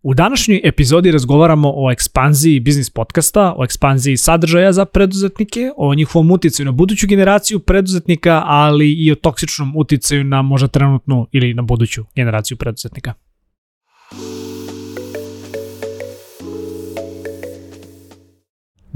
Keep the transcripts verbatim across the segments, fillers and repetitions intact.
U današnjoj epizodi razgovaramo o ekspanziji biznis podcasta, o ekspanziji sadržaja za preduzetnike, o njihovom uticaju na buduću generaciju preduzetnika, ali i o toksičnom uticaju na možda trenutnu ili na buduću generaciju preduzetnika.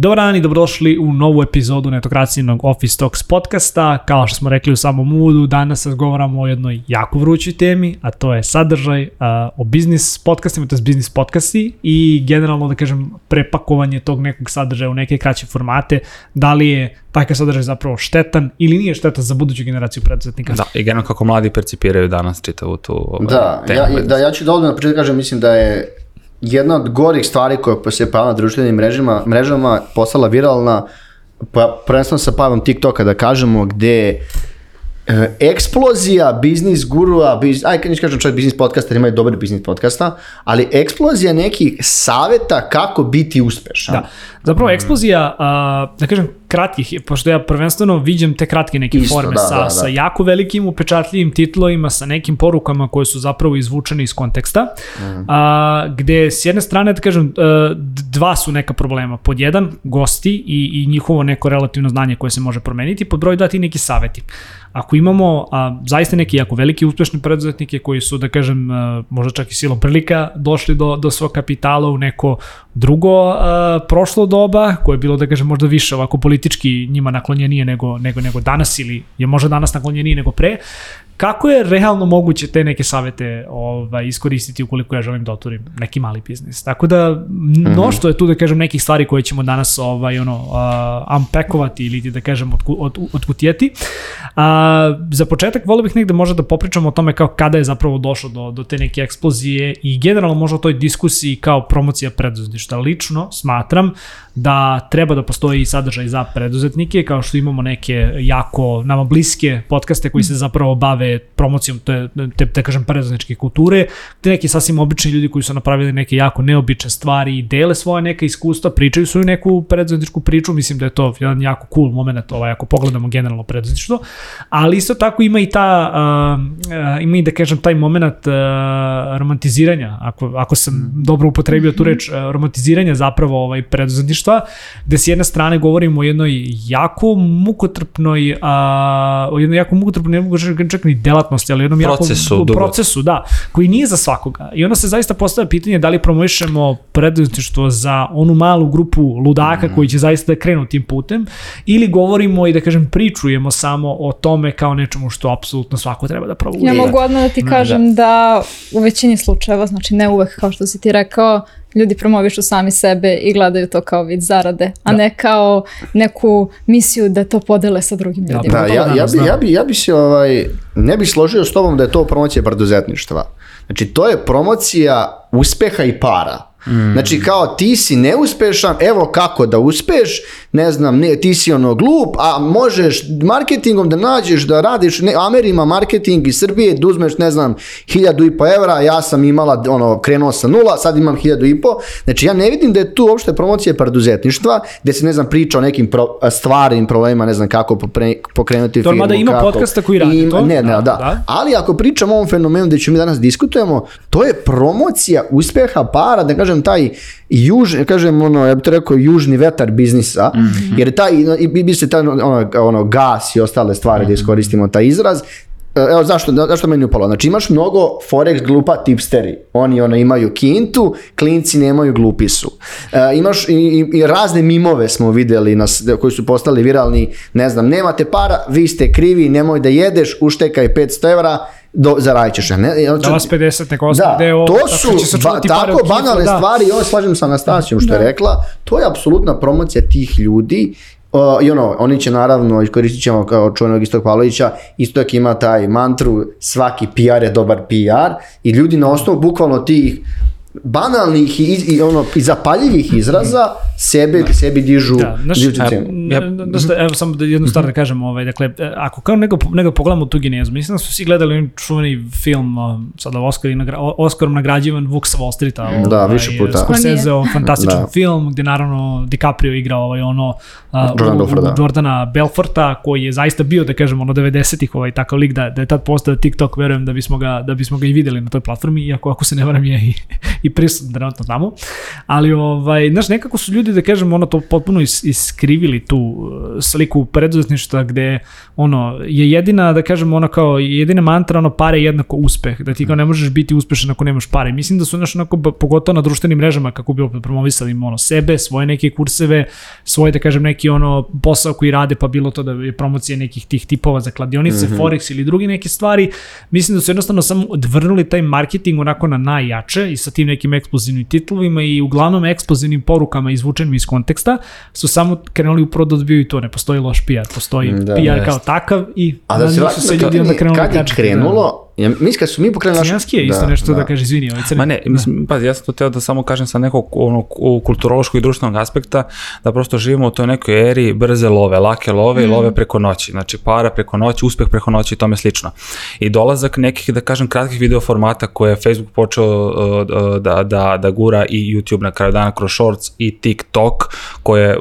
Dobar dan i dobrodošli u novu epizodu Netokracijinog Office Talks podcasta. Kao što smo rekli u samom uvodu, danas razgovaramo o jednoj jako vrućoj temi, a to je sadržaj uh, o biznis podcastima, to je biznis podcasti i generalno, da kažem, prepakovanje tog nekog sadržaja u neke kraće formate. Da li je takav sadržaj zapravo štetan ili nije štetan za buduću generaciju preduzetnika? Da, i generalno kako mladi percipiraju danas čitavu tu ovaj, da, temu. Ja, da, ja ću da odmah na početku kažem, mislim da je jedna od gorih stvari koja se pojavila na društvenim mrežama, mrežama postala viralna, prvenstveno sa pojavom TikToka, da kažemo, gde e, eksplozija biznis gurua, biz, aj kad niš kažem čak biznis podcasta, imaju dobar biznis podcasta, ali eksplozija nekih saveta kako biti uspešan. Da, zapravo eksplozija, a, da kažem, kratkih, pošto ja prvenstveno viđem te kratke neke Isto, forme da, sa, da, da. sa jako velikim upečatljivim titlovima, sa nekim porukama koje su zapravo izvučene iz konteksta, mm. a, gde s jedne strane, da kažem, dva su neka problema. Pod jedan, gosti i, i njihovo neko relativno znanje koje se može promeniti, pod broj dati neki saveti. Ako imamo a, zaista neki jako veliki uspešni preduzetnike koji su, da kažem, a, možda čak i silom prilika došli do, do svog kapitala u neko drugo a, prošlo doba, koje je bilo, da kažem, možda više ovako politički njima naklonjenije nego, nego, nego danas ili je možda danas naklonjenije nego pre. Kako je realno moguće te neke savete ovaj, iskoristiti ukoliko ja želim da otvorim neki mali biznis? Tako da mnoštvo je tu, da kažem, nekih stvari koje ćemo danas ovaj, ono, uh, unpackovati ili da kažem od, od, odkutijeti. Uh, za početak volio bih negde možda da popričamo o tome kao kada je zapravo došlo do, do te neke eksplozije i generalno možda o toj diskusiji kao promocija preduzetništva. Lično smatram da treba da postoji sadržaj za preduzetnike, kao što imamo neke jako nama bliske podcaste koji se zapravo bave promocijom te, te, te kažem, preduzetničke kulture, te neki sasvim obični ljudi koji su napravili neke jako neobične stvari i dele svoje neke iskustva, pričaju svoju neku preduzetničku priču, mislim da je to jedan jako cool moment, ovaj, ako pogledamo generalno preduzetništvo, ali isto tako ima i ta, uh, ima i, da kažem, taj moment uh, romantiziranja, ako, ako sam dobro upotrebio tu reč, uh, romantiziranja zapravo ovaj, preduzetništva, gde s jedne strane govorimo o jednoj jako mukotrpnoj, a, o jednoj jako mukotrpnoj, ne mogu čak ni delatnosti, ali o jednom procesu, jako procesu, da, koji nije za svakoga. I onda se zaista postavlja pitanje da li promovišemo preduzetništvo za onu malu grupu ludaka mm. koji će zaista da krenu tim putem, ili govorimo i, da kažem, pričujemo samo o tome kao nečemu što apsolutno svako treba da proba. Ja mogu odmah da ti kažem da. da u većini slučajeva, znači ne uvek kao što si ti rekao, ljudi promovišu sami sebe i gledaju to kao vid zarade, a da. ne kao neku misiju da to podele sa drugim ljudima. Da, ja, ja, bi, ja, bi, ja bi se ovaj, ne bi složio s tobom da je to promocija preduzetništva. Znači, to je promocija uspeha i para. Mm. Znači, kao ti si neuspešan, evo kako da uspeš, ne znam, ne, ti si ono glup, a možeš marketingom da nađeš, da radiš, ne, Amerima marketing iz Srbije, da uzmeš, ne znam, hiljadu i po evra, ja sam imala, ono, krenuo sa nula, sad imam hiljadu i po, znači ja ne vidim da je tu uopšte promocija preduzetništva, gde se, ne znam, priča o nekim pro, stvarnim problemima, ne znam kako popre, pokrenuti to firmu. To ima kako, podcasta koji radi im, to. Ne, ne, da, da. da. Ali ako pričamo o ovom fenomenu gde ćemo mi danas diskutujemo, to je promocija uspeha, para, da kažem, taj juž, kažem, ono, ja bih to rekao, južni vetar biznisa, mm-hmm. jer taj, bi se taj, ono, ono, gas i ostale stvari, mm-hmm. da iskoristimo taj izraz. Evo, zašto, zašto meni upalo? Znači, imaš mnogo Forex glupa tipsteri. Oni ono, imaju kintu, klinci nemaju, glupi su. E, imaš i, i, i razne mimove smo videli nas, koji su postali viralni, ne znam, nemate para, vi ste krivi, nemoj da jedeš, uštekaj petsto evra, do, zaradit ćeš. Ne, da vas pedeset neko da, deo, to su ba, tako banalne da. stvari, i ovo slažem sa Anastasijom što da. je rekla, to je apsolutna promocija tih ljudi. Uh, i ono, oni će naravno, iskoristit ćemo kao čuvenog Istok Pavlovića, Istok ima taj mantru, svaki P R je dobar P R, i ljudi na osnovu bukvalno tih banalnih i, i, ono, i zapaljivih izraza sebe, da. sebi dižu, da, znaš, dižu cenu. Ja, da, evo samo da jednu stvar da kažem, ovaj, dakle, ako kao nego, nego pogledamo tu genezu, mislim da su svi gledali čuveni film, sada Oscar, Oscarom nagrađivan Vuk sa Wall Streeta, ovaj, da, više puta. Scorsese, fantastičan da. film, gde naravno DiCaprio igra ovaj, ono, Jordan u, Belfort, u da. Jordana Belforta, koji je zaista bio, da kažemo, ono devedesetih ovaj, takav lik da, da je tad postao TikTok, verujem da bismo ga, da bismo ga i videli na toj platformi, iako ako se ne varam je i, i prisutan trenutno tamo. Ali, ovaj, znaš, nekako su ljudi, da kažemo, ono to potpuno is, iskrivili tu sliku preduzetništva gde, ono, je jedina, da kažemo, ono kao, jedina mantra, ono, pare jednako uspeh, da ti kao ne možeš biti uspešan ako nemaš pare. Mislim da su, znaš, onako, pogotovo na društvenim mrežama, kako bi opet promovisali, ono, sebe, svoje neke kurseve, svoje, da kažem, neki, ono, posao koji rade, pa bilo to da je promocija nekih tih tipova za kladionice, mm-hmm. Forex ili drugi neke stvari. Mislim da su jednostavno samo odvrnuli taj marketing onako na najjače i sa tim nekim eksplozivnim titlovima i uglavnom eksplozivnim porukama izvučenim iz konteksta su samo krenuli upravo da odbijaju to. Ne postoji loš P R, postoji da, P R jest. Kao takav i a da se, su se ljudi onda krenuli kad je krenulo, ja, mislim kad su mi pokrenuli Crnjanski je isto da, nešto da, da kaže, izvini, ovaj crni. Ma ne, mislim, pa ja sam to teo da samo kažem sa nekog ono, kulturološkog i društvenog aspekta, da prosto živimo u toj nekoj eri brze love, lake love mm. i love preko noći, znači para preko noći, uspeh preko noći i tome slično. I dolazak nekih, da kažem, kratkih video formata koje je Facebook počeo uh, da, da, da gura i YouTube na kraju dana kroz Shorts i TikTok, koje je,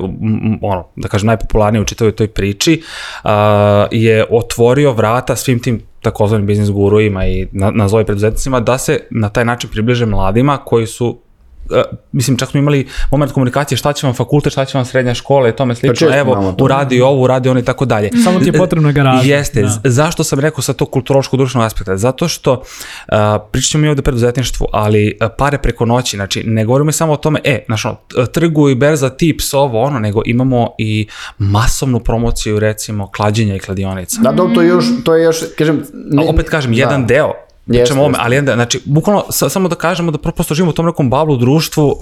ono, da kažem, najpopularnije u čitavoj toj priči, uh, je otvorio vrata svim tim takozvanim biznis guruima i nazovi preduzetnicima da se na taj način približe mladima koji su, uh, mislim, čak smo imali moment komunikacije šta će vam fakultet, šta će vam srednja škola i tome slično, evo, uradi ovo, uradi ono i tako dalje. Samo ti je potrebno garaža. Jeste, da. Zašto sam rekao sa tog kulturološkog društvenog aspekta? Zato što uh, pričat ćemo mi ovde preduzetništvu, ali uh, pare preko noći, znači ne govorimo samo o tome, e, znaš ono, trgu i berza, tips, ovo, ono, nego imamo i masovnu promociju, recimo, klađenja i kladionica. Da, da, to je još, to je još, kažem... Ne, a opet kažem, da. jedan deo, pričamo ome, ali onda, znači, bukvalno sa, samo da kažemo da prosto živimo u tom nekom bablu društvu uh,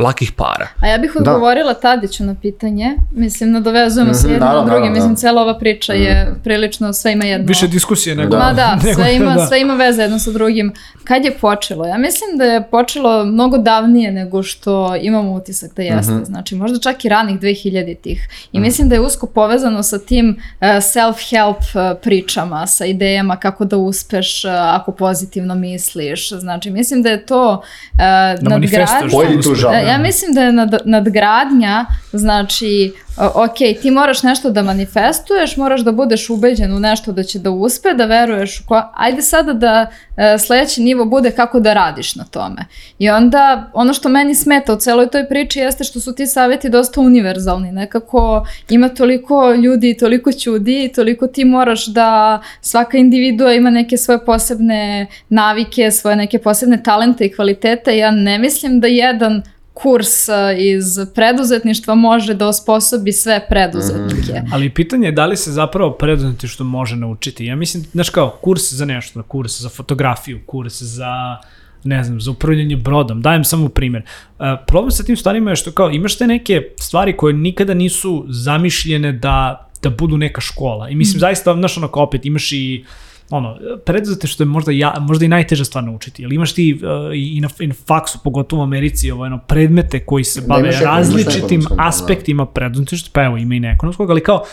lakih para. A ja bih odgovorila da. Tadiću na pitanje, mislim, nadovezujemo se jedno na druge, mislim, cela ova priča je prilično, sve ima jedno... Više diskusije nego... Ma da, sve ima, da. sve ima veze jedno sa drugim. Kad je počelo? Ja mislim da je počelo mnogo davnije nego što imamo utisak da jeste, uh-huh. znači možda čak i ranih dvehiljaditih. I uh-huh. mislim da je usko povezano sa tim uh, self-help uh, pričama, sa idejama kako da uspeš uh, ako pozitivno misliš, znači mislim da je to uh, da nadgradnja, ja mislim da je nad, nadgradnja, znači uh, ok, ti moraš nešto da manifestuješ, moraš da budeš ubeđen u nešto da će da uspe, da veruješ u ko... ajde sada da uh, sledeći nivo bude kako da radiš na tome. I onda ono što meni smeta u celoj toj priči jeste što su ti savjeti dosta univerzalni, nekako ima toliko ljudi, toliko ćudi i toliko ti moraš da svaka individua ima neke svoje posebne navike, svoje neke posebne talente i kvalitete. Ja ne mislim da jedan kurs iz preduzetništva može da osposobi sve preduzetnike. Mm. Ali pitanje je da li se zapravo preduzetništvo može naučiti. Ja mislim, znaš kao, kurs za nešto, kurs za fotografiju, kurs za, ne znam, za upravljanje brodom. Dajem samo primjer. Uh, problem sa tim stvarima je što kao imaš te neke stvari koje nikada nisu zamišljene da, da budu neka škola. I mislim, mm. zaista, znaš, onako opet imaš i ono, preduzete što je možda, ja, možda i najteža stvar naučiti, ali imaš ti uh, i, na, i na faksu, pogotovo u Americi, ovo, ono, predmete koji se bave različitim aspektima preduzetništva, pa evo ima i neekonomskog, ali kao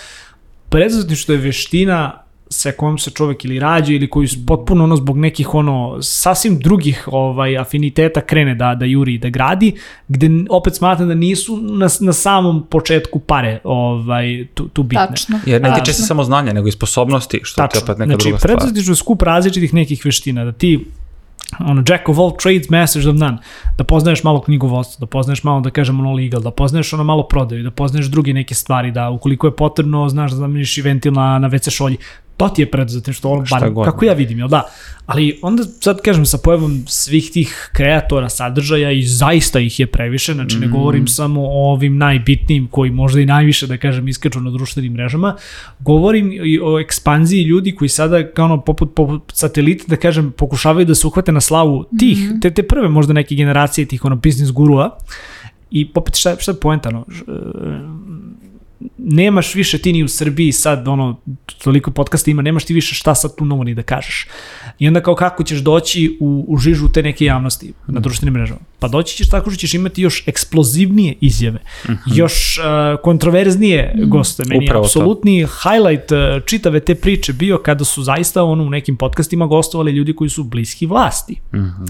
preduzetništvo je veština sa kojom se čovek ili rađa ili koji potpuno ono zbog nekih ono sasvim drugih ovaj afiniteta krene da da juri i da gradi, gde opet smatram da nisu na, na samom početku pare ovaj tu, tu bitne. Tačno. Jer ne tiče se samo znanja, nego i sposobnosti, što je opet neka znači, druga stvar. Znači, preduzetništvo je skup različitih nekih veština, da ti ono, jack of all trades, masters of none, da poznaješ malo knjigovodstvo, da poznaješ malo, da kažem, ono legal, da poznaješ ono malo prodaju, da poznaješ druge neke stvari, da ukoliko je potrebno, znaš da zameniš i ventil na, na ve ce šolji, to ti je preduzetništvo, ono, bar, kako ja vidim, jel da? Ali onda, sad kažem, sa pojavom svih tih kreatora sadržaja i zaista ih je previše, znači ne govorim mm. samo o ovim najbitnijim koji možda i najviše, da kažem, iskaču na društvenim mrežama, govorim i o ekspanziji ljudi koji sada, kao ono, poput, poput satelita, da kažem, pokušavaju da se uhvate na slavu tih, mm. te, te prve možda neke generacije tih, ono, biznis gurua, i popet šta, šta je poenta, no, nemaš više ti ni u Srbiji sad, ono, toliko podcasta ima, nemaš ti više šta sad tu novo ni da kažeš. I onda kao kako ćeš doći u, u žižu te neke javnosti na društvenim mrežama? Pa doći ćeš tako što ćeš imati još eksplozivnije izjave, mm-hmm. još uh, kontroverznije mm. goste. Meni je apsolutni highlight uh, čitave te priče bio kada su zaista ono, u nekim podcastima gostovali ljudi koji su bliski vlasti. Mm-hmm.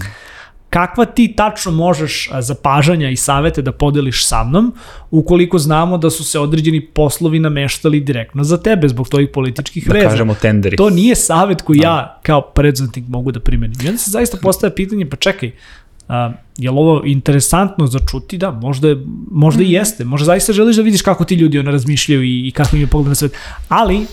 Kakva ti tačno možeš zapažanja i savete da podeliš sa mnom ukoliko znamo da su se određeni poslovi nameštali direktno za tebe zbog tvojih političkih da veza. Da kažemo tenderi. To nije savet koji no. ja kao preduzetnik mogu da primenim. I onda se zaista postavlja pitanje, pa čekaj, Uh, je li ovo interesantno za čuti? Da, možda, možda i jeste. Možda zaista želiš da vidiš kako ti ljudi ono razmišljaju i, i kako im je pogled na svet. Ali,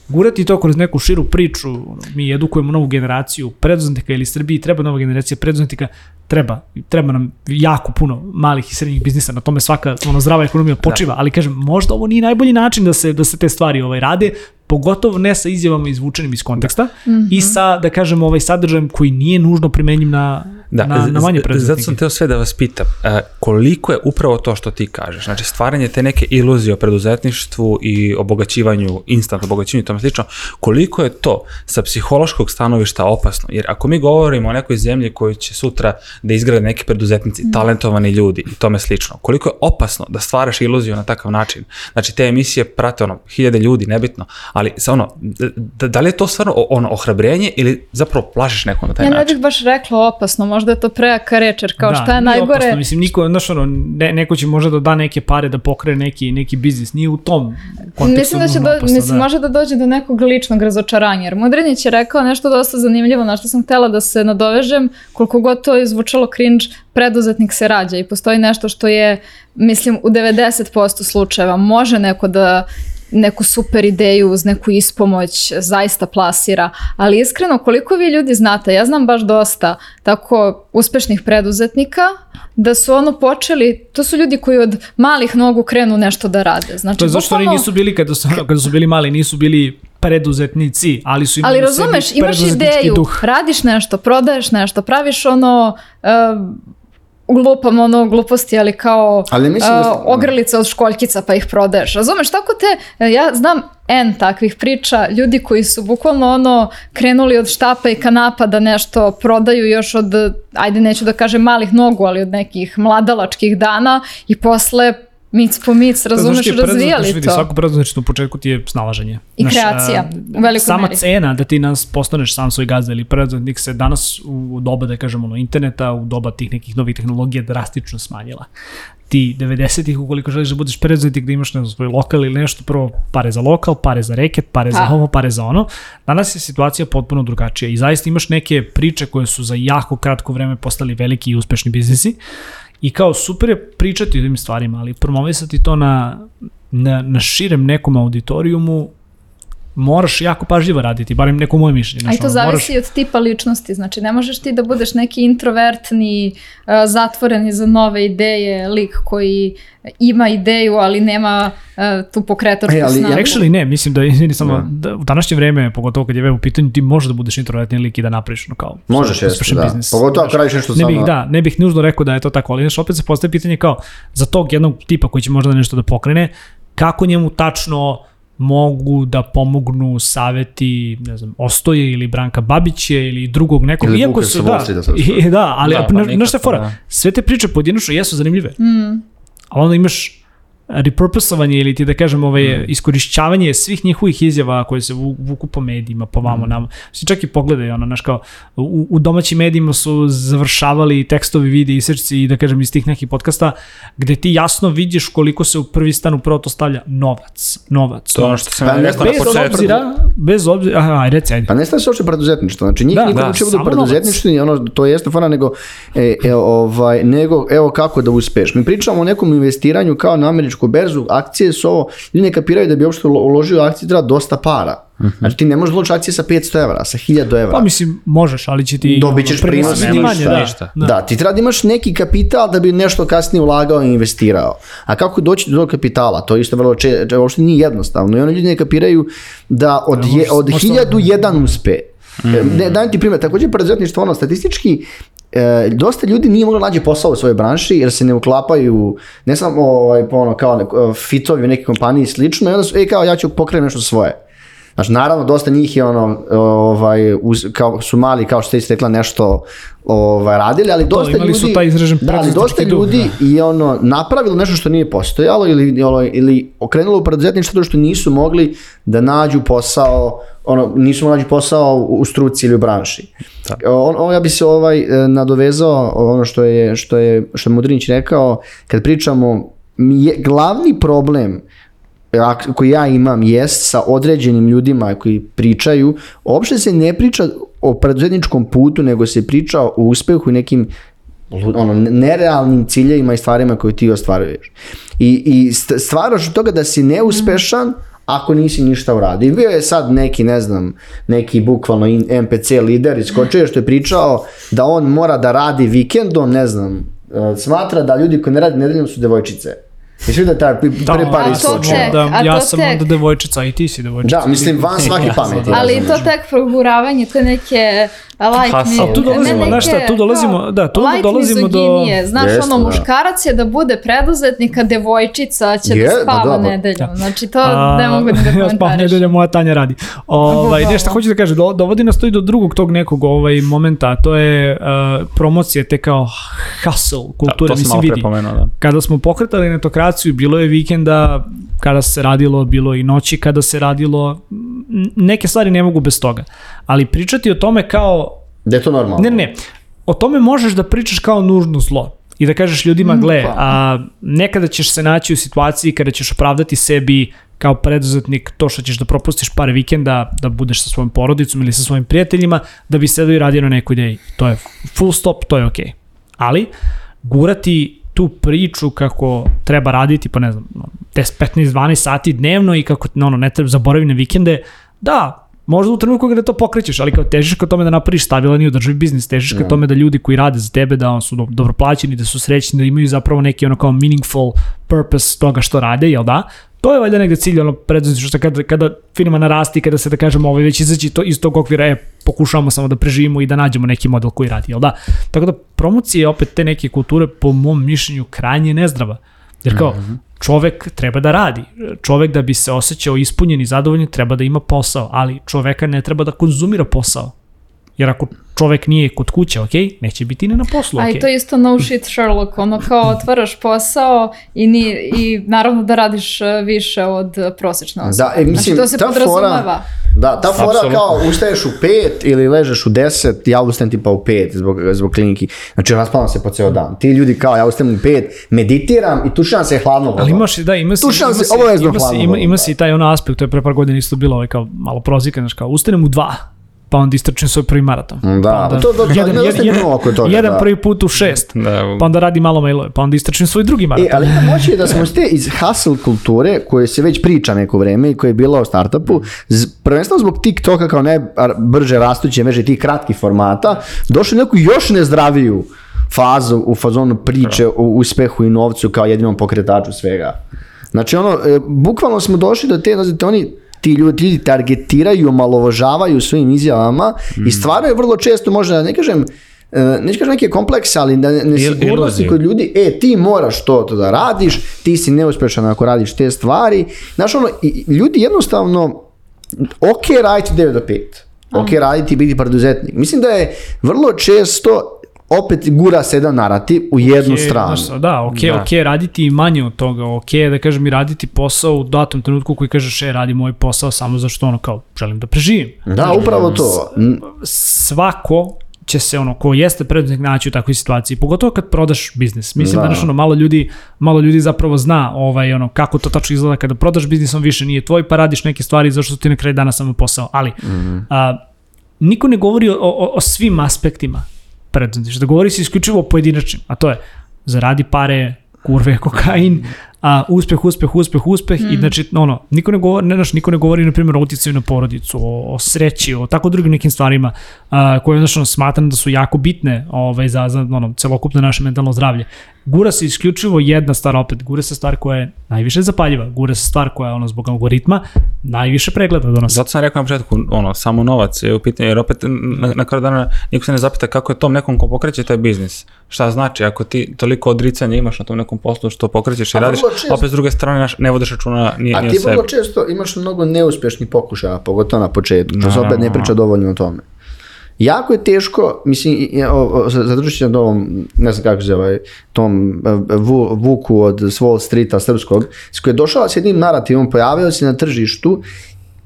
gurati to kroz neku širu priču, ono, mi edukujemo novu generaciju preduzetnika ili Srbiji, treba nova generacija preduzetnika, treba, treba nam jako puno malih i srednjih biznisa, na tome svaka ono, zdrava ekonomija počiva, da. Ali kažem, možda ovo nije najbolji način da se, da se te stvari ovaj, rade, pogotovo ne sa izjavama izvučenim iz konteksta mm-hmm. i sa, da kažem, ovaj sadržajem koji nije nužno primenjiv na, da, na, na manje preduzetnike. Zato sam teo sve da vas pitam, koliko je upravo to što ti kažeš, znači stvaranje te neke iluzije o preduzetništvu i obogaćivanju, instant obogaćivanju i tome slično, koliko je to sa psihološkog stanovišta opasno, jer ako mi govorimo o nekoj zemlji koju će sutra da izgrade neki preduzetnici, mm. talentovani ljudi i tome slično, koliko je opasno da stvaraš iluziju na takav način, znači te emisije prate ono, hiljade ljudi, nebitno, ali ono, da, da li je to stvarno ono ohrabrenje ili zapravo plašiš nekom na taj ja način? Ja ne bih baš rekla opasno, možda je to prejaka reč, jer kao da, šta je najgore... Opasno, mislim, niko, znaš, ono, ne, neko će možda da da neke pare da pokrene neki, neki biznis, nije u tom kontekstu. Mislim da će do, opasno, mislim, da. može da dođe do nekog ličnog razočaranja, jer Mudrinić je rekao nešto dosta zanimljivo, na što sam htela da se nadovežem, koliko god to je zvučalo cringe, preduzetnik se rađa i postoji nešto što je, mislim, u devedeset posto slučajeva može neko da neku super ideju uz neku ispomoć zaista plasira, ali iskreno koliko vi ljudi znate, ja znam baš dosta tako uspešnih preduzetnika da su ono počeli, to su ljudi koji od malih nogu krenu nešto da rade. Znači, to je zašto oni nisu bili, kada su, kada su bili mali, nisu bili preduzetnici, ali su imali ali razumeš, imaš ideju, duh. Radiš nešto, prodaješ nešto, praviš ono... Uh, glupam ono gluposti, ali kao ali uh, ogrlice od školjkica pa ih prodaješ. Razumeš, tako te, ja znam N takvih priča, ljudi koji su bukvalno ono krenuli od štapa i kanapa da nešto prodaju još od, ajde neću da kažem malih nogu, ali od nekih mladalačkih dana i posle mic po mic, razumeš, razvijali vidi, to. Svako preduzetništvo u početku ti je snalaženje. I znaš, kreacija, u velikoj sama meri. Cena da ti nas postaneš sam svoj gazda ili preduzetnik se danas u doba, da kažemo, ono, interneta, u doba tih nekih novih tehnologija drastično smanjila. Ti devedesetih, ukoliko želiš da budeš preduzetnik, da imaš ne znam, svoj lokal ili nešto, prvo pare za lokal, pare za reket, pare za ovo, pare za ono. Danas je situacija potpuno drugačija i zaista imaš neke priče koje su za jako kratko vreme postali veliki i uspešni biznisi. I kao super je pričati o tim stvarima, ali promovisati to na, na, na širem nekom auditorijumu moraš jako pažljivo raditi, barem neko moje mišljenje. A i to zavisi moraš... od tipa ličnosti, znači ne možeš ti da budeš neki introvertni, uh, zatvoreni za nove ideje, lik koji ima ideju, ali nema uh, tu pokretačku e, snagu. Actually ne, mislim da, izvini samo, da u današnje vreme, pogotovo kad je web u pitanju, ti možeš da budeš introvertni lik i da napraviš no kao možeš jeste, da. Biznis. Pogotovo ako radiš nešto ne bih, samo... Da, ne bih nužno rekao da je to tako, ali znaš, opet se postaje pitanje kao za tog jednog tipa koji će možda nešto da pokrene, kako njemu tačno mogu da pomognu saveti, ne znam, Ostoje ili Branka Babića ili drugog nekog. Ili Vuka se vosti da se i, da, ali da, pa na što je fora, da. Sve te priče pojedinačno jesu zanimljive. Mm. Ali onda imaš repurposovanje ili ti da kažem ovaj, mm. iskorišćavanje svih njihovih izjava koje se vuku po medijima, po vamo mm. nama. Svi čak i pogledaju, ono, znaš kao, u, u domaćim medijima su završavali tekstovi, vidi i srci i da kažem iz tih nekih podcasta gde ti jasno vidiš koliko se u prvi stan upravo to stavlja novac. Novac. To ono što sam pa, rekao na početku. Bez obzira, bez obzira, aha, reci, ajde. Pa ne stavi se uopšte preduzetništvo, znači njih da, niko ne učivo da preduzetništvo, ono, to jeste fana, nego, e, e, ovaj, nego, evo kako da uspeš. Mi pričamo o nekom investiranju kao na američku berzu, akcije su ovo, ljudi ne kapiraju da bi uopšte uložio akcije treba dosta para. Uh-huh. Znači ti ne možeš uložiti akcije sa petsto evra, sa hiljadu evra. Pa mislim, možeš, ali će ti... Dobit ćeš prinos manje, da. Da. da, ti treba da imaš neki kapital da bi nešto kasnije ulagao i investirao. A kako doći do tog kapitala? To isto vrlo če, če, uopšte nije jednostavno. I oni ljudi ne kapiraju da od, je, od hiljadu jedan uspe. Mm-hmm. Ne, dajem ti primjer, također preduzetništvo, ono, statistički e, dosta ljudi nije moglo nađe posao u svojoj branši jer se ne uklapaju, ne samo ovaj, ono, kao neko, fitovi u neke kompaniji i slično, i onda su, e, kao ja ću pokrenuti nešto svoje. Znači, naravno, dosta njih je ono, ovaj, uz, kao, su mali, kao što ste rekla, nešto ovaj, radili, ali dosta imali ljudi, su taj izražen da, ali dosta ljudi je ono, napravilo nešto što nije postojalo ili, ili, ili okrenulo u preduzetništvo što nisu mogli da nađu posao, ono, nisu mogli nađu posao u struci ili u branši. On, on, ja bi se ovaj, nadovezao ono što je, što je, što je Mudrinić rekao, kad pričamo, je, glavni problem koji ja imam jest sa određenim ljudima koji pričaju, uopšte se ne priča o preduzetničkom putu, nego se priča o uspehu i nekim ono, nerealnim ciljevima i stvarima koje ti ostvaruješ. I, i stvaraš od toga da si neuspešan ako nisi ništa uradio. I bio je sad neki, ne znam, neki bukvalno em pe ce lider iskočio što je pričao da on mora da radi vikendom, ne znam, smatra da ljudi koji ne radi nedeljom su devojčice. Mislim da taj prvi par iskočio. Da, ja sam onda devojčica i ti si devojčica. Da, mislim, van svaki pameti. Ali to tek proguravanje, te neke like me, a tu dolazimo, znaš šta, tu dolazimo, da, tu like dolazimo do... Znaš, ono, muškarac je da bude preduzetnik, a devojčica će da spava nedeljom. Znači, to ne mogu da komentariš. Ja spavam nedeljom, moja Tanja radi. Ovaj, nešto hoću da kažem, dovodi nas to i do drugog tog nekog ovaj, momenta, to je promocija, te kao hustle kulture, mislim, vidi. Kada smo pokretali netokraciju, bilo je vikenda kada se radilo, bilo i noći kada se radilo, neke stvari ne mogu bez toga. Ali pričati o tome kao... Da je to normalno. Ne, ne. O tome možeš da pričaš kao nužno zlo. I da kažeš ljudima, gle, a nekada ćeš se naći u situaciji kada ćeš opravdati sebi kao preduzetnik to što ćeš da propustiš par vikenda, da budeš sa svojom porodicom ili sa svojim prijateljima, da bi sedao i radio na nekoj ideji. To je full stop, to je okej. Okay. Ali, gurati tu priču kako treba raditi, pa ne znam, deset, petnaest, dvanaest sati dnevno i kako ono, ne treba zaboraviti na vikende, da, možda u trenutku kada to pokrećeš, ali kao težiš ka tome da napraviš stabilan i održivi biznis, težiš ka tome da ljudi koji rade za tebe, da on su do, dobro plaćeni, da su srećni, da imaju zapravo neki ono kao meaningful purpose toga što rade, jel da? To je valjda negde cilj, ono, preduzetništvo, što kada, kada firma narasti, kada se da kažemo ovaj, već izaći to, iz tog okvira, e, pokušavamo samo da preživimo i da nađemo neki model koji radi, jel da? Tako da promocije opet te neke kulture, po mom mišljenju, krajnje nezdrava. Jer kao, čovek treba da radi. Čovek da bi se osjećao ispunjen i zadovoljen treba da ima posao, ali čoveka ne treba da konzumira posao. Jer ako čovek nije kod kuće, ok, neće biti ni na poslu, ok. A i to je isto no shit Sherlock, ono kao otvaraš posao i, ni, i naravno da radiš više od prosječne osobe. Da, e, mislim, znači to se podrazumeva. Da, ta fora Absolutno. Kao ustaješ u pet ili ležeš u deset, ja ustajem tipa u pet zbog, zbog kliniki. Znači raspavam se po ceo dan. Ti ljudi kao ja ustajem u pet, meditiram i tušam se hladno voda. Ali imaš i da, ima si, tušam ima se si, obavezno ima hladno si, ima, ima si i taj ono aspekt, to je pre par godina isto bilo ovaj kao malo prozika, znači kao ustanem u dva. Pa onda istrčim svoj prvi maraton. Da, pa onda, to, to, jedan, to, jedan, jedan, toga, jedan da. prvi put u šest, da. Pa onda radi malo mailove, pa onda istrčim svoj drugi maraton. E, ali ima moći da smo ste iz hustle kulture, koje se već priča neko vreme i koje je bila u startupu, prvenstveno zbog TikToka kao najbrže rastuće mreže tih kratkih formata, došli neku još nezdraviju fazu u fazonu priče o uspehu i novcu kao jedinom pokretaču svega. Znači ono, e, bukvalno smo došli do te, znači oni ti ljudi, ljudi targetiraju, omalovažavaju svojim izjavama mm. i stvaraju vrlo često, možda ne kažem, neću kažem neke komplekse, ali da ne sigurnosti kod ljudi, e, ti moraš to, to da radiš, ti si neuspešan ako radiš te stvari. Znaš, ono, ljudi jednostavno, ok, raditi devet do pet, ok, raditi i biti preduzetnik. Mislim da je vrlo često opet gura se jedan narativ u jednu okay, stranu. Znaš, da, ok, da. ok, raditi i manje od toga, ok, da kažem i raditi posao u datom trenutku koji kažeš, e, radim moj posao samo zašto ono kao, želim da preživim. Da, znači, upravo to. Svako će se ono, ko jeste preduzetnik naći u takvoj situaciji, pogotovo kad prodaš biznis. Mislim da, danas ono, malo ljudi, malo ljudi zapravo zna ovaj, ono, kako to tačno izgleda kada prodaš biznis, on više nije tvoj, pa radiš neke stvari zašto ti na kraju dana samo posao. Ali, mm-hmm. a, niko ne govori o, o, o svim aspektima preduzetništva, da govori se isključivo o pojedinačnim, a to je zaradi pare, kurve, kokain, a uspeh, uspeh, uspeh, uspeh mm. i znači, ono, niko ne govori, ne, znaš, niko ne govori, na primjer, o uticaju na porodicu, o, o sreći, o tako drugim nekim stvarima a, koje, znači, ono, smatram da su jako bitne ovaj, za, za ono, celokupno naše mentalno zdravlje. gura se isključivo jedna stvar, opet gura se stvar koja je najviše zapaljiva, gura se stvar koja je ono zbog algoritma najviše pregleda donosi. Zato sam rekao na početku, ono, samo novac je u pitanju, jer opet na, na kraju dana niko se ne zapita kako je tom nekom ko pokreće taj biznis. Šta znači, ako ti toliko odricanja imaš na tom nekom poslu što pokrećeš i a radiš, često, opet s druge strane ne vodiš računa ni, a ni o sebi. A ti vrlo često imaš mnogo neuspješnih pokušaja, pogotovo na početku, to se opet ne priča dovoljno o tome. Jako je teško, mislim, zadržit ću na ovom, ne znam kako se ovaj, tom vu, Vuku od Wall Streeta srpskog, s koji je došao s jednim narativom, pojavio se na tržištu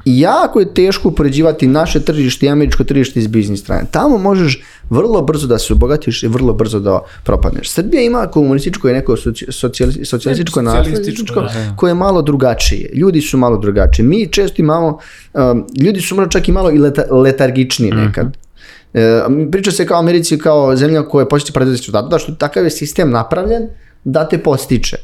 i jako je teško upoređivati naše tržište i američko tržište iz biznis strane. Tamo možeš vrlo brzo da se obogatiš i vrlo brzo da propadneš. Srbija ima komunističko i neko socijalističko, socijalističko nasljedničko koje je malo drugačije. Ljudi su malo drugačiji. Mi često imamo, um, ljudi su možda čak i malo i leta, letargičniji nekad. Mm-hmm. E, priča se kao Americi kao zemlja koja postiče preduzetništvo, zato što takav je sistem napravljen da te postiče.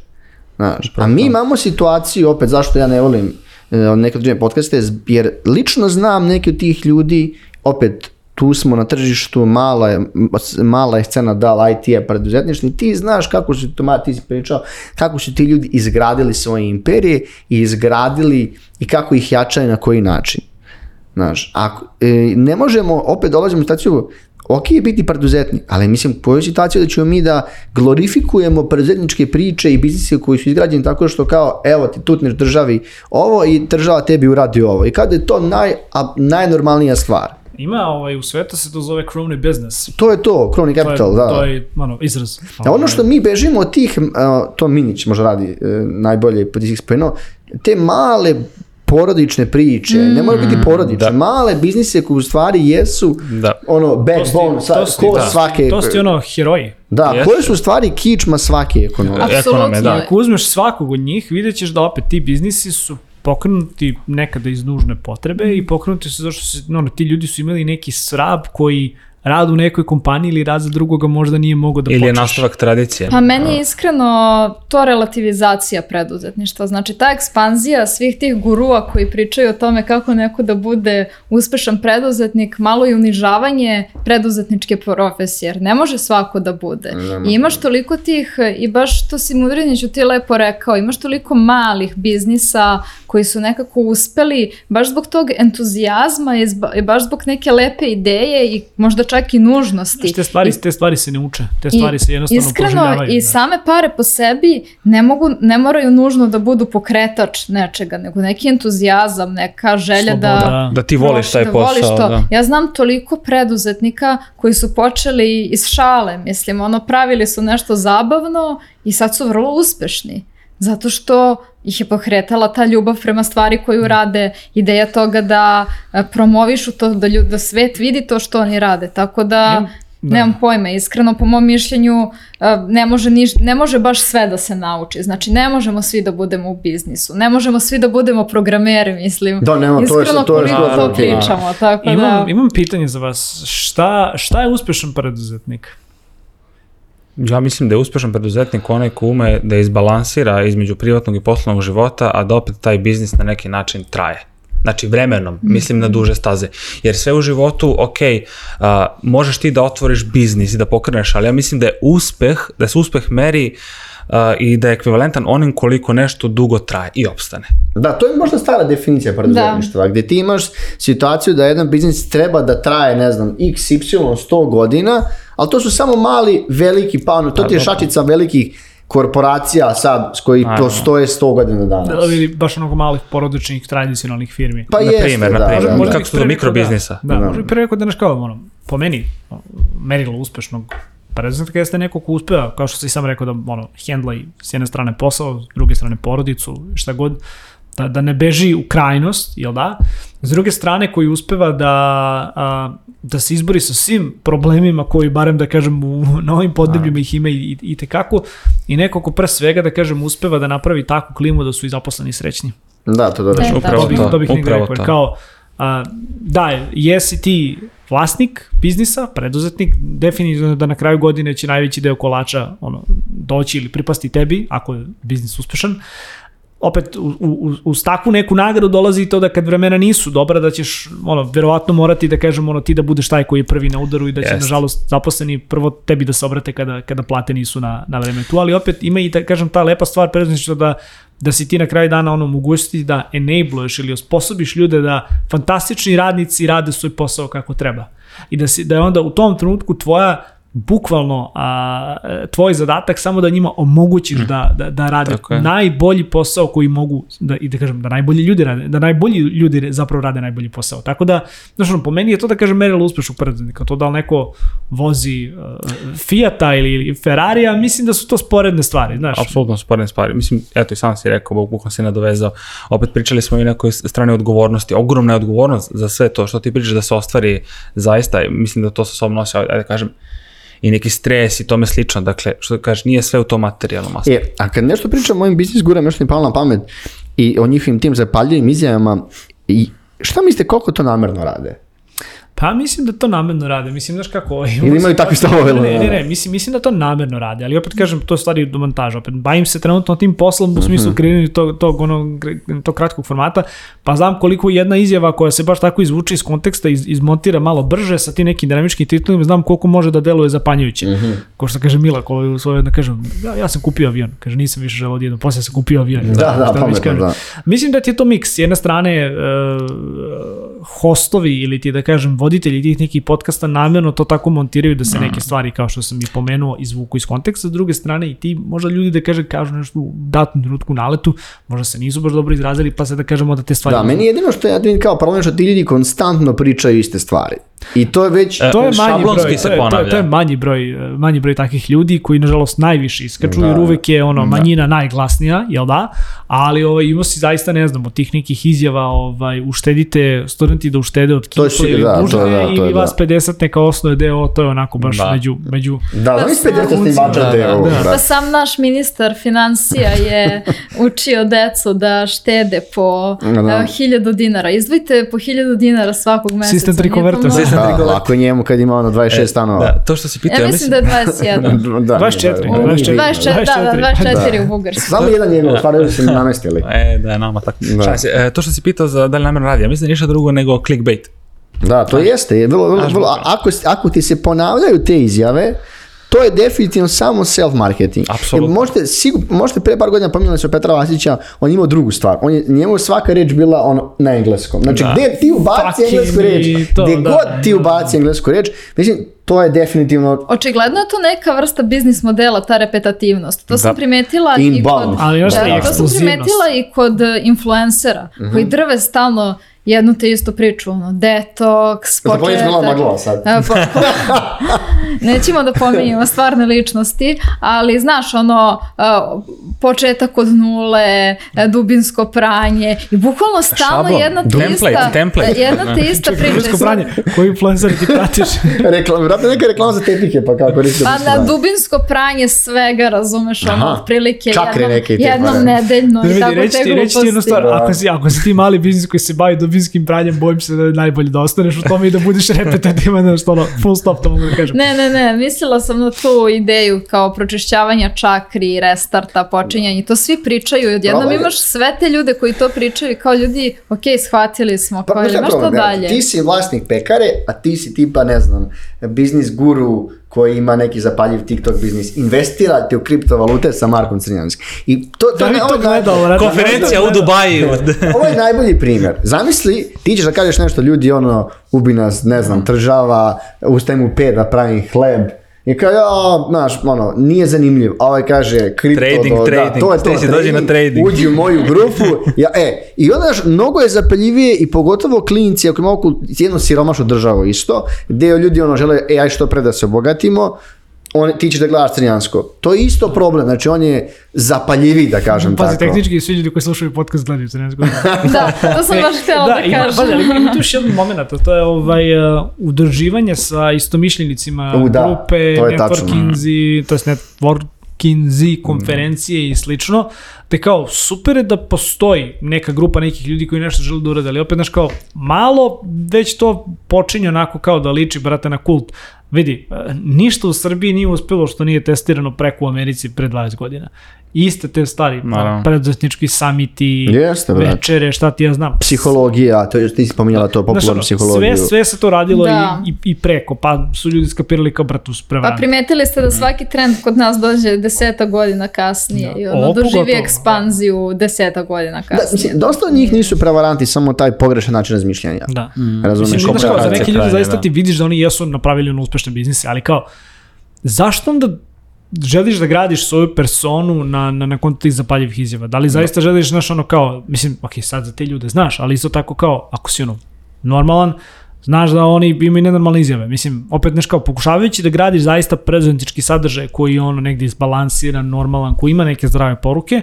Znaš, a mi imamo situaciju, opet zašto ja ne volim e, neke određene podcaste, jer lično znam neke od tih ljudi, opet tu smo na tržištu, mala je, mala je scena da I T-a preduzetništvo i ti znaš kako su, ti si pričao, kako su ti ljudi izgradili svoje imperije i izgradili i kako ih jačaju na koji način. Znaš, ako, e, ne možemo, opet dolazimo u situaciju, ok je biti preduzetnik, ali mislim, u ovoj situaciji da ćemo mi da glorifikujemo preduzetničke priče i biznise koji su izgrađeni tako što kao, evo ti tutneš državi ovo i država tebi uradi ovo. I kada je to naj, a, najnormalnija stvar. Ima, ovaj, u svetu se to zove crony business. To je to, crony capital, to je, da. To je, ono, izraz. A ono što mi bežimo od tih, uh, to Minić možda radi uh, najbolje pod ih spomenuo, te male porodične priče, mm. ne moraju biti porodične, da. Male biznise koji u stvari jesu da. Ono backbone, sa, ko da. Svake... To su ti ono heroji. Da, yes. Koje su u stvari kičma svake ekonomije. Apsolutno. Da. Ako uzmeš svakog od njih, vidjet ćeš da opet ti biznisi su pokrenuti nekada iz nužne potrebe mm. i pokrenuti su zašto se, ono, ti ljudi su imali neki srab koji rad u nekoj kompaniji ili rad za drugoga možda nije mogao da počneš. Ili je nastavak tradicije. Pa meni je iskreno to relativizacija preduzetništva. Znači ta ekspanzija svih tih gurua koji pričaju o tome kako neko da bude uspešan preduzetnik, malo i unižavanje preduzetničke profesije, jer ne može svako da bude. I imaš toliko tih, i baš to si Mudriniću ti lepo rekao, imaš toliko malih biznisa koji su nekako uspeli baš zbog tog entuzijazma i baš zbog neke lepe ideje i možda čak i nužnosti. Te stvari, I, te stvari se ne uče, te stvari se jednostavno proživljavaju. Iskreno, i same pare po sebi ne, mogu, ne moraju nužno da budu pokretač nečega, nego neki entuzijazam, neka želja Sloboda. da... Da ti voliš taj da posao. Voliš to. Da. Ja znam toliko preduzetnika koji su počeli iz šale, mislim, ono, pravili su nešto zabavno i sad su vrlo uspešni. Zato što ih je pokretala ta ljubav prema stvari koju rade, ideja toga da promovišu to, da, ljud, da svet vidi to što oni rade. Tako da, ja, da. Nemam pojma, iskreno po mom mišljenju ne može, niš, ne može baš sve da se nauči. Znači ne možemo svi da budemo u biznisu, ne možemo svi da budemo programeri, mislim. Da, nema, iskreno to je, to je, koliko to pričamo. Tako imam, da... imam pitanje za vas, šta, šta je uspešan preduzetnik? Ja mislim da je uspešan preduzetnik onaj ko ume da izbalansira između privatnog i poslovnog života, a da opet taj biznis na neki način traje. Znači vremenom, mislim na duže staze. Jer sve u životu, ok, uh, možeš ti da otvoriš biznis i da pokreneš, ali ja mislim da je uspeh, da se uspeh meri uh, i da je ekvivalentan onim koliko nešto dugo traje i opstane. Da, to je možda stara definicija preduzetništva, gdje ti imaš situaciju da jedan biznis treba da traje, ne znam, x y sto godina, ali to su samo mali, veliki, pa to ti je šačica velikih korporacija sad s koji postoje sto godina danas. Da, ili baš onoga malih porodičnih tradicionalnih firmi. Pa na jeste, primjer, da. Na primjer, da, da. kako su do mikrobiznisa. Da, da, da. Možda i prvi rekao da kao, ono, po meni, merilo uspešnog preduzetnika jeste neko ko uspeva, kao što si sam rekao da ono, hendla i s jedne strane posao, s druge strane porodicu, šta god, da, da ne beži u krajnost, jel da? S druge strane koji uspeva da, a, da se izbori sa svim problemima koji, barem da kažem, u, na ovim podnebljima ih ima i, i tekako, i neko ko pre svega, da kažem, uspeva da napravi takvu klimu da su i zaposleni srećni. Da, to dobro. E, upravo to, to, to bih upravo rekao, kao, a, da, jesi ti vlasnik biznisa, preduzetnik, definitivno da na kraju godine će najveći deo kolača ono, doći ili pripasti tebi, ako je biznis uspešan, opet u, u, uz takvu neku nagradu dolazi to da kad vremena nisu dobra da ćeš ono, verovatno morati da kažem ono, ti da budeš taj koji je prvi na udaru i da će yes. nažalost zaposleni prvo tebi da se obrate kada, kada plate nisu na, na vreme tu, ali opet ima i da kažem ta lepa stvar preduzetništva da da si ti na kraju dana ono mogućnosti da enabluješ ili osposobiš ljude da fantastični radnici rade svoj posao kako treba i da, si, da je onda u tom trenutku tvoja bukvalno a, tvoj zadatak samo da njima omogućiš mm. da, da, da rade najbolji posao koji mogu da, i da kažem da najbolji ljudi rade, da najbolji ljudi zapravo rade najbolji posao. Tako da, znači, po meni je to da kažem merilo uspešnog preduzetnika. To da li neko vozi uh, Fiata ili, ili Ferrarija, mislim da su to sporedne stvari, znaš. Apsolutno sporedne stvari. Mislim, eto i sam si rekao, bukvalno si nadovezao. Opet pričali smo i nekoj strane odgovornosti, ogromna je odgovornost za sve to što ti pričaš da se ostvari zaista, mislim da to sa sobom nosi, ajde da kažem, i neki stres i tome slično, dakle, što da kažeš, nije sve u tom materijalnom aspektu. E, a kad nešto pričam o mojim biznis gurama, nešto mi palo na pamet i o njihovim tim zapaljivim izjavama, i šta mislite koliko to namerno rade? Pa mislim da to namerno rade, mislim, znaš kako... Ili imaju takvi stavove? Ne, ne, ne, mislim, mislim da to namerno rade, ali opet kažem, to je stvari do montaža, opet bavim se trenutno tim poslom u smislu kreiranja tog, tog, ono, tog kratkog formata, pa znam koliko jedna izjava koja se baš tako izvuče iz konteksta, iz, izmontira malo brže sa tim nekim dinamičkim titulima, znam koliko može da deluje zapanjujuće. Mm-hmm. Ko što kaže Mila, koji u svojoj, da kažem, ja, ja sam kupio avion, kaže, nisam više želeo odjedno, poslije sam kupio avion. Da, da, da, pametno, da. Mislim da ti je to miks, s jedne strane uh, hostovi ili ti, da kažem, voditelji tih nekih podcasta namjerno to tako montiraju da se neke stvari, kao što sam i pomenuo, izvuku iz konteksta. S druge strane i ti, možda ljudi da kaže, kažu nešto u datom trenutku naletu, možda se nisu baš dobro izrazili, pa se da kažemo da te stvari... Da, meni jedino što ja kao problem što ti ljudi konstantno pričaju iste stvari. I to je već to je manji broj, to je, to, je, to je manji broj, manji broj takvih ljudi koji nažalost najviše iskaču, jer uvek je ono manjina da. najglasnija, jel da? Ali ovaj ima si zaista ne znam od tih nekih izjava, ovaj uštedite studenti da uštede od kipa ili da, dužne da, ili vas pedeset neka osnove deo, to je onako baš da. među među Da, da, da pedeset snimača deo. Pa sam naš ministar finansija je učio decu da štede po hiljadu dinara. Izdvojite po hiljadu dinara svakog meseca. Sistem trikonverta. Da, lako njemu kad ima ono dvadeset šest stanova. Da, to što si pitao, ja mislim da je dvadeset jedan. da, dvadeset četiri. dvadeset četiri, da, da, dvadeset četiri u Bugarskoj. Samo jedan njegov, stvaraju se namestili. E, da je nama tako. E, to što si pitao za da li namjerno radi, ja mislim da ništa drugo nego clickbait. Da, to jeste. Vrlo, vrlo, vrlo, ako, ako ti se ponavljaju te izjave, to je definitivno samo self-marketing. Apsolutno. Možete, sigur, možete pre par godina pominjali se o Petra Vasića, on imao drugu stvar. On je, njemu svaka reč bila ono, na engleskom. Znači, da. Gde ti ubaci englesku reč, gde da, god da, ti ubaci englesku reč, mislim, to je definitivno... Očigledno je to neka vrsta biznis modela, ta repetativnost. To sam da. primetila i kod, ali još da, to sam primetila i kod influencera, mm-hmm. koji drve stalno jednu te istu priču, ono, detoks, početak. Maglo sad. Po, po, nećemo da pominjamo stvarne ličnosti, ali znaš, ono, početak od nule, dubinsko pranje i bukvalno stalno Šablon. jedna te template, ista, template. jedna te ista priča. Dubinsko pranje, koji influencer ti pratiš? Reklam, vratno neka reklama za tepike, pa kako reći. Pa na dubinsko pranje svega, razumeš, ono, otprilike jednom, neke jednom nedeljno i tako te gluposti. Reći ti jednu stvar, ako si, ako si ti mali biznis koji se bavi dubinskim pranjem, bojim se da je najbolje da ostaneš u tome i da budeš repetitivan, nešto ono, full stop, to mogu da kažem. Ne, ne, ne, mislila sam na tu ideju kao pročišćavanja čakri, restarta, počinjanja, to svi pričaju i odjednom Probaj. imaš sve te ljude koji to pričaju kao ljudi, ok, shvatili smo, pa, kao ili imaš to dalje. Ti si vlasnik pekare, a ti si tipa, ne znam, biznis guru koji ima neki zapaljiv TikTok biznis, investirate u kriptovalute sa Markom Crnjanskim. I to, to, da, ne, to gledao, konferencija u Dubaju. Ovo je najbolji primjer. Zamisli, ti ćeš da kažeš nešto, ljudi ono, ubi nas, ne znam, tržava, ustajem u pet da pravim hleb. I kao, ja, znaš, ono, nije zanimljiv. A ovaj kaže, kripto, trading, do, trading, da, to je to, trading, dođi na trading. Uđi u moju grupu. Ja, e, i onda, znaš, mnogo je zapaljivije i pogotovo klinci, ako ima oko jednu siromašnu državu isto, gdje ljudi ono žele, e, aj što pre da se obogatimo, on, ti ćeš da gledaš Crnjansko. To je isto problem, znači on je zapaljiviji, da kažem Pazi, tako. Pazi, tehnički svi ljudi koji slušaju podcast gledaju Crnjansko. Da, to sam baš htjela da, da kažem. Da, pazi, ali ima tu još jedan moment, to je ovaj, uh, udruživanje sa istomišljenicima, U, da, grupe, to networkinzi, to je networkinzi, konferencije mm. i slično, te kao super je da postoji neka grupa nekih ljudi koji nešto žele da urade, ali opet znaš kao malo već to počinje onako kao da liči, brate, na kult. vidi, ništa u Srbiji nije uspelo što nije testirano preko u Americi pre dvadeset godina. Iste te stvari, preduzetnički samiti, Jeste, večere, šta ti ja znam. Psihologija, to je, ti si pominjala to popularnu psihologiju. Sve, sve se to radilo i, i, i preko, pa su ljudi skapirali kao bratu s prevrame. Pa primetili ste da svaki trend kod nas dođe deseta godina kasnije da. i ono doživi ekspanziju deseta godina kasnije. Da, mislim, dosta od njih nisu prevaranti, samo taj pogrešan način razmišljanja. Da. Mm. Razumeš? Mislim, kao, za neki ljudi zaista ti vidiš da oni jesu napravili ono uspešne biznise, ali kao, zašto onda želiš da gradiš svoju personu na, na, na kontu tih zapaljivih izjava? Da li zaista želiš, znaš, ono kao, mislim, ok, sad za te ljude znaš, ali isto tako kao, ako si ono normalan, znaš da oni imaju nenormalne izjave. Mislim, opet nešto kao, pokušavajući da gradiš zaista preduzetnički sadržaj koji je ono negdje izbalansiran, normalan, koji ima neke zdrave poruke,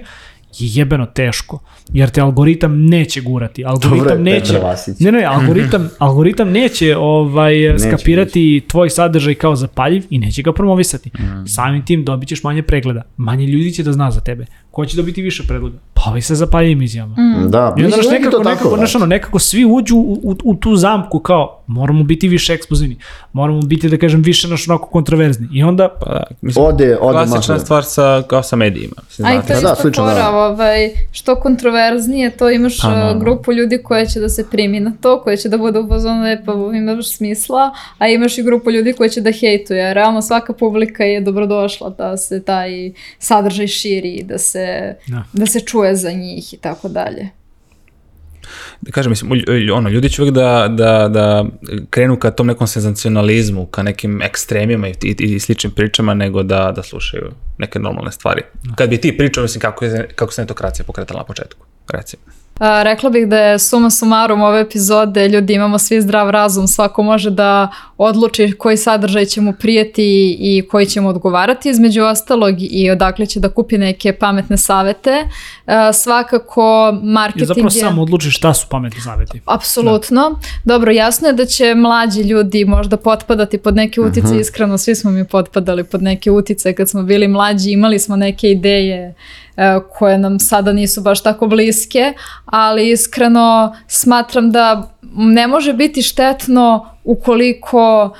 je jebeno teško, jer te algoritam neće gurati. Algoritam Dobre, neće, ne, ne, algoritam, algoritam neće ovaj, neće, skapirati neće. tvoj sadržaj kao zapaljiv i neće ga promovisati. Mm. Samim tim dobit ćeš manje pregleda. Manje ljudi će da zna za tebe. Ko će dobiti više pregleda? Pa ovi se zapaljivim izjavama. Mm. Da, I onda nekako, nekako, znaš, ono, nekako svi uđu u, u, u tu zamku kao moramo biti više eksplozivni. Moramo biti, da kažem, više naš onako kontroverzni. I onda... Pa da, mislim, ode, ode klasična masno. stvar sa, kao sa medijima. A i to je isto fora, ovaj, što kontroverznije, to imaš pa, no. grupu ljudi koja će da se primi na to, koja će da bude upozorna, pa imaš smisla, a imaš i grupu ljudi koja će da hejtuje. Realno svaka publika je dobrodošla da se taj sadržaj širi, da se, no. da se čuje za njih i tako dalje. Da kažem, mislim, ono, ljudi će uvijek da, da, da krenu ka tom nekom senzacionalizmu, ka nekim ekstremima i, i, i sličnim pričama, nego da, da slušaju neke normalne stvari. Kad bi ti pričao, mislim, kako, je, kako se netokracija pokretala na početku, recimo. A, rekla bih da je suma sumarum ove epizode, ljudi imamo svi zdrav razum, svako može da odluči koji sadržaj će mu prijeti i koji će mu odgovarati, između ostalog i odakle će da kupi neke pametne savete. A, svakako marketing je... I zapravo sam odluči šta su pametni saveti. Apsolutno. Da. Dobro, jasno je da će mlađi ljudi možda potpadati pod neke utice, uh-huh. iskreno svi smo mi potpadali pod neke utice kad smo bili mlađi, imali smo neke ideje koje nam sada nisu baš tako bliske, ali iskreno smatram da ne može biti štetno ukoliko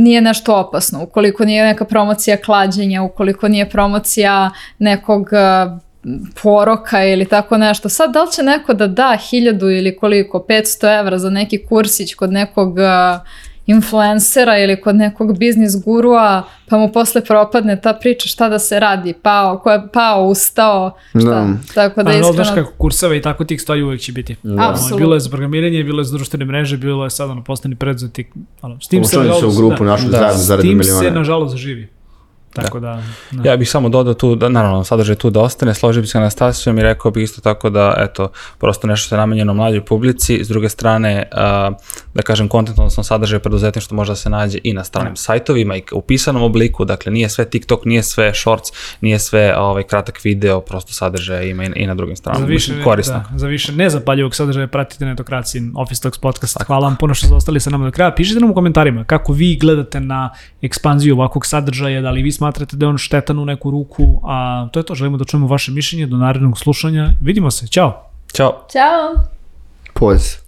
nije nešto opasno, ukoliko nije neka promocija klađenja, ukoliko nije promocija nekog poroka ili tako nešto. Sad, da li će neko da da hiljadu ili koliko, petsto evra za neki kursić kod nekog influencera ili kod nekog biznis gurua, pa mu posle propadne ta priča šta da se radi, pao, ko je pao, ustao, šta, no. tako da iskreno... Ali znaš kako kurseva i tako tih stvari uvijek će biti. No. Apsolutno. Bilo je za programiranje, bilo je za društvene mreže, bilo je sad ono postani preduzetnik. S tim se, se u grupu našu da, zajedno za miliona. S tim se nažalost živi. Tako da, da, da. Ja bih samo dodao tu, da, naravno, sadržaj tu da ostane, složio bih se na Anastasijom i rekao bih isto tako da, eto, prosto nešto što je namenjeno mlađoj publici, s druge strane, uh, da kažem, kontent, odnosno sadržaj preduzetništva može da se nađe i na stranim sajtovima i u pisanom obliku, dakle, nije sve TikTok, nije sve Shorts, nije sve ovaj, kratak video, prosto sadržaja ima i, i na drugim stranama. Za više, korisno. Da, za više nezapaljivog sadržaja pratite Netokraciju, Office Talks podcast. Tako. Hvala vam puno što ste ostali sa nama do kraja. Pišite nam u komentarima kako vi gledate na ekspanziju ovakvog sadržaja, da li vi smatrate da je on štetan u neku ruku, a to je to, želimo da čujemo vaše mišljenje, do narednog slušanja, vidimo se, ćao! Ćao! Ćao! Poz.